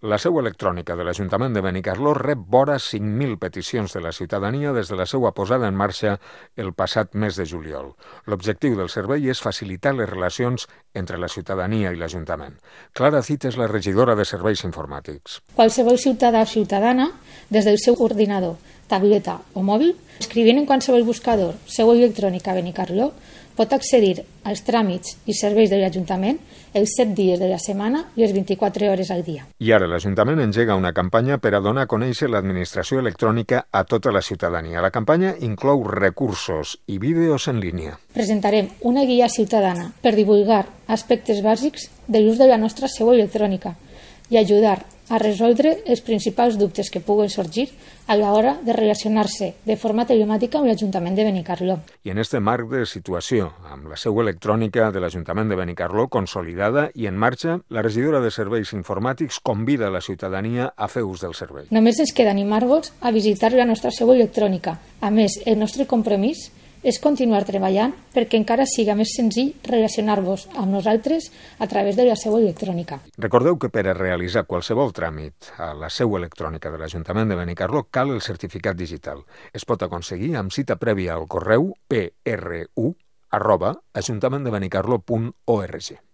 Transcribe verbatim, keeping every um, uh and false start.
La seu electrònica de l'Ajuntament de Benicarló rep vora cinc mil peticions de la ciutadania des de la seva posada en marxa el passat mes de juliol. L'objectiu del servei és facilitar les relacions entre la ciutadania i l'Ajuntament. Clara Cid és la regidora de Serveis Informàtics. Qualsevol ciutadà o ciutadana, des del seu ordinador, tableta o mòbil, escrivint en qualsevol buscador seu electrònica Benicarló, pot accedir als tràmits i serveis de l'Ajuntament els set dies de la setmana i les vint-i-quatre hores al dia. I ara l'Ajuntament engega una campanya per a donar a conèixer l'administració electrònica a tota la ciutadania. La campanya inclou recursos i vídeos en línia. Presentarem una guia ciutadana per divulgar aspectes bàsics de l'ús de la nostra seu electrònica i ajudar a resoldre els principals dubtes que puguen sorgir a l'hora de relacionar-se de forma telemàtica amb l'Ajuntament de Benicarló. I en este marc de situació, amb la seu electrònica de l'Ajuntament de Benicarló consolidada i en marxa, la regidora de Serveis Informàtics convida la ciutadania a fer ús del servei. Només ens queda animar-vos a visitar la nostra seu electrònica. A més, el nostre compromís és continuar treballant perquè encara siga més senzill relacionar-vos amb nosaltres a través de la seu electrònica. Recordeu que per a realitzar qualsevol tràmit a la seu electrònica de l'Ajuntament de Benicarló cal el certificat digital. Es pot aconseguir amb cita prèvia al correu p r u arroba ajuntament de benicarló punt org.